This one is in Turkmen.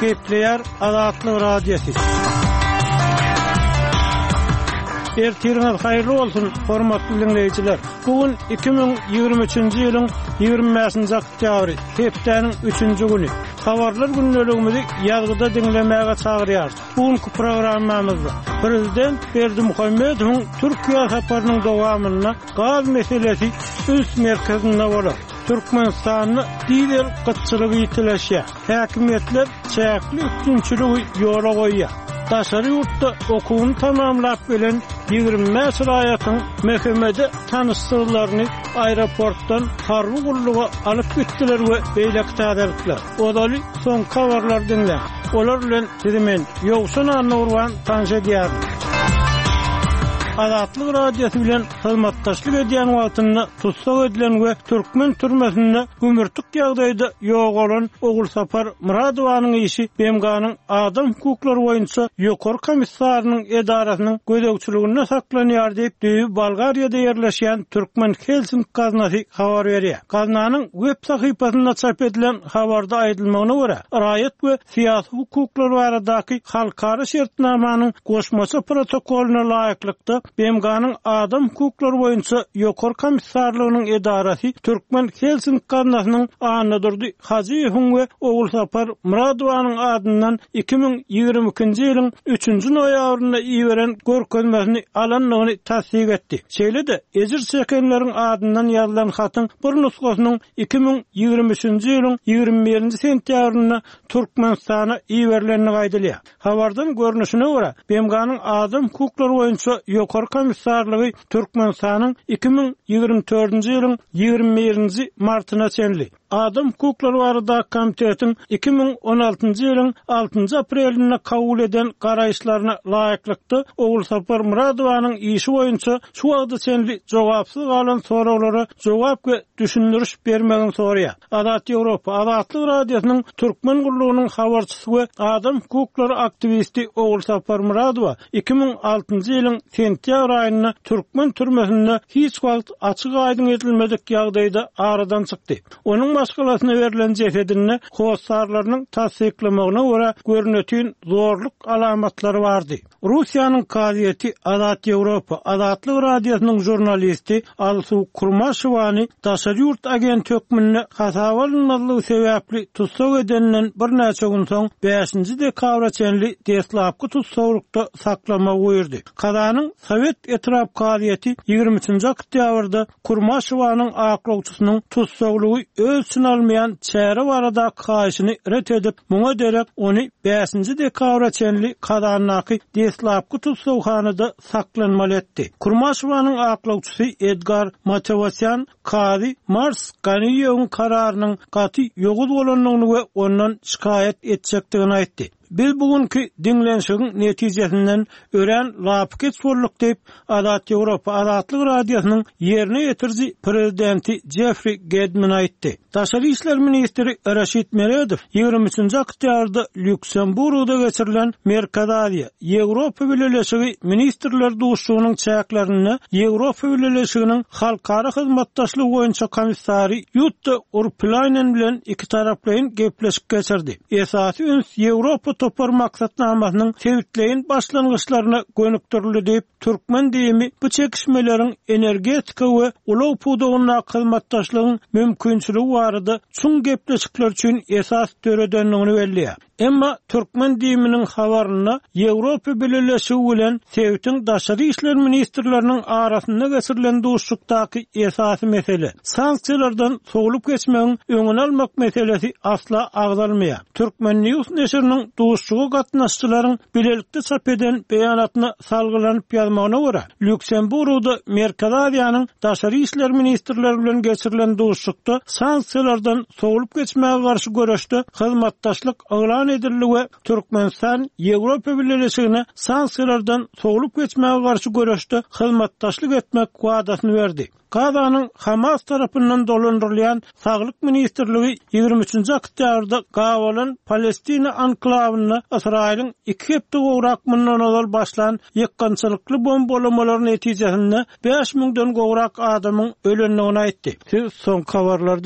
Gepleýär Azatlyk Radiosy. Ertiriňiz haýyrly bolsun, hormatly diňleýjiler! Bu gün 2023-nji ýylyň 25-nji oktýabry, hepdäniň üçünji güni. Habarlar gündeligimizi ýazgyda diňlemäge çagyrýarys. Bu günki programmamyzda Prezident Berdimuhamedowyň Türkiýä saparynyň dowamynda gaz meselesi üns merkezinde bolar. Türkmenistanda dizel gytçylygy ýitileşýär. Häkimiýetler çäkli üpjünçiligi ýola goýýar. Daşary ýurtda okuwyny tamamlap gelen 25 raýatyň MHM-de tanyşsyzlaryny aeroportdan harby gulluga alyp gitdiler we beýleki täzelikler. Ozaly soňky habarlary diňläň. Olar bilen sizi men, Ýowşan Annagurban tanyş edýärin. Azatlyk Radiosy bilen hyzmatdaşlyk edýän wagtynda tussag edilen we türkmen türmesinde gümürtik ýagdaýda ýogalan Ogulsapar Myradowanyň işi BMG-niň Adam hukuklary boýunça Ýokary komissarynyň edarasynyň gözegçiliginde saklanýar diýip, düýbi Bolgariýada ýerleşýän Türkmen Helsink gaznasy habar berýär. Gaznanyň web sahypasynda çap edilen habarda aýdylmagyna görä, raýat we syýasy hukuklar baradaky halkara şertnamanyň goşmaça protokolyna laýyklykda, BMG-niň Adam hukuklary boýunça Ýokary komissarlygynyň edarasy Türkmen Helsink gaznasynyň Annadurdy Hajyýewiň we Ogulsapar Myradowanyň adyndan 2022-nji ýylyň üçünji noýabrynda iberen görkezmesini alandygyny tassyk etdi. Şeýle-de, ejir çekenleriň adyndan ýazylan hatyň bir nusgasynyň 2023-nji ýylyň 21-nji sentýabrynda Türkmenistana iberilendigi aýdylýar. Habardan görnüşine görä, BMG-niň Adam hukuklary boýunça Ýokary komissarlygy Türkmenistanyň 2024-nji ýylyň 21-nji martyna çenli Adam hukuklary baradaky komitetiň 2016-njy ýylyň altynjy aprelinde kabul eden garaýyşlaryna laýyklykda Ogulsapar Myradowanyň işi boýunça şu wagta çenli jogapsyz galan soraglara jogap we düşündiriş bermegini soraýar. Azat Ýewropa, Azatlyk Radiosynyň Türkmen gullugynyň habarçysy we adam hukuklary aktiwisti Ogulsapar Myradowa 2006-njy ýylyň sentýabr aýynda türkmen türmesinde hiç wagt açyk-aýdyň edilmedik ýagdaýda aradan çykdy. Onuň maşgalasyna berlen jesedinde hossarlarynyň tassyklamagyna görä görnetin zorluk alamatlary bardy. Russiýanyň kazyýeti Azat Ýewropa, Azatlyk Radiosynyň žurnalisti Alsu Kurmaşewany daşary ýurt agenti hökmünde hasaba alynmazlygy sebäpli tussag edeninden birnäçe gün soň, bäşinji dekabra çenli deslapky tussaglykda saklamagy buýurdy. Kazanyň Sowet etrap kazyýeti 23-nji oktýabrda Kurmaşewanyň aklawçysynyň tussaglygy öz içine almaýan çäre baradaky haýyşyny ret edip, muňa derek ony bäşinji dekabra çenli Kazandaky deslapky tussaghanada saklanmaly etdi. Kurmaşewanyň aklawçysy Edgar Matewosýan kazy Mars Ganiýewiň kararynyň gaty ýowuz bolandygyny we ondan şikaýat etjekdigini aýtdy. Biz bu günki diňlenişigiň netijesinden örän lapykeç bolduk diýip, Azat Ýewropa Azatlyk Radiosynyň ýerine ýetiriji prezidenti Jeffri Gedmin aýtdy. Daşary işler ministri Raşid Meredow 23-nji oktýabrda Lýuksemburgda geçirilen Merkezi Aziýa, Ýewropa Bileleşigi ministrler duşuşygynyň çäklerinde Ýewropa Bileleşiginiň halkara hyzmatdaşlygy boýunça komissary Ýutta Urpilaýnen bilen ikitaraplaýyn gepleşik geçirdi. Esasy üns Ýewropa topar maksatnamasynyň sebitleýin başlangyçlaryna gönükdirildi diýip, türkmen DIM-i bu çekişmeleriň energetika we ulag pudagyndaky hyzmatdaşlygyň mümkinçiligi barada çuň gepleşikler üçin esas döredendigini belleýär. Emma türkmen DIM-niň habarynda Ýewropa Bileleşigi bilen sebitiň daşary işler ministrleriniň arasynda geçirilen duşuşykdaky esasy mesele, sanksiýalardan sowlup geçmegiň öňüni almak meselesi asla agzalmaýar. Turkmen. News neşiriniň duşuşyga gatnaşyjylaryň bilelikde çap eden beýanatyna salgylanyp ýazmagyna görä, Lýuksemburgda Merkezi Aziýanyň daşary işler ministrleri bilen geçirilen duşuşykda sanksiýalardan sowlup geçmäge garşy göreşde hyzmatdaşlyk yglan edildi we Türkmenistan Ýewropa Bileleşigine sanksiýalardan sowlup geçmäge garşy göreşde hyzmatdaşlyk etmek wadasyny berdi. Gazanyň Hamas tarapyndan dolandyrylýan Saglyk ministrligi 23-nji oktýabrda gabalan Palestina anklawynda Ysraýylyň iki hepde gowrak mundan ozal başlan ýykgynçylykly bombalamalary netijesinde 5000-den gowrak adamyň ölendigini aýtdy. Siz soňky habarlary diňläň.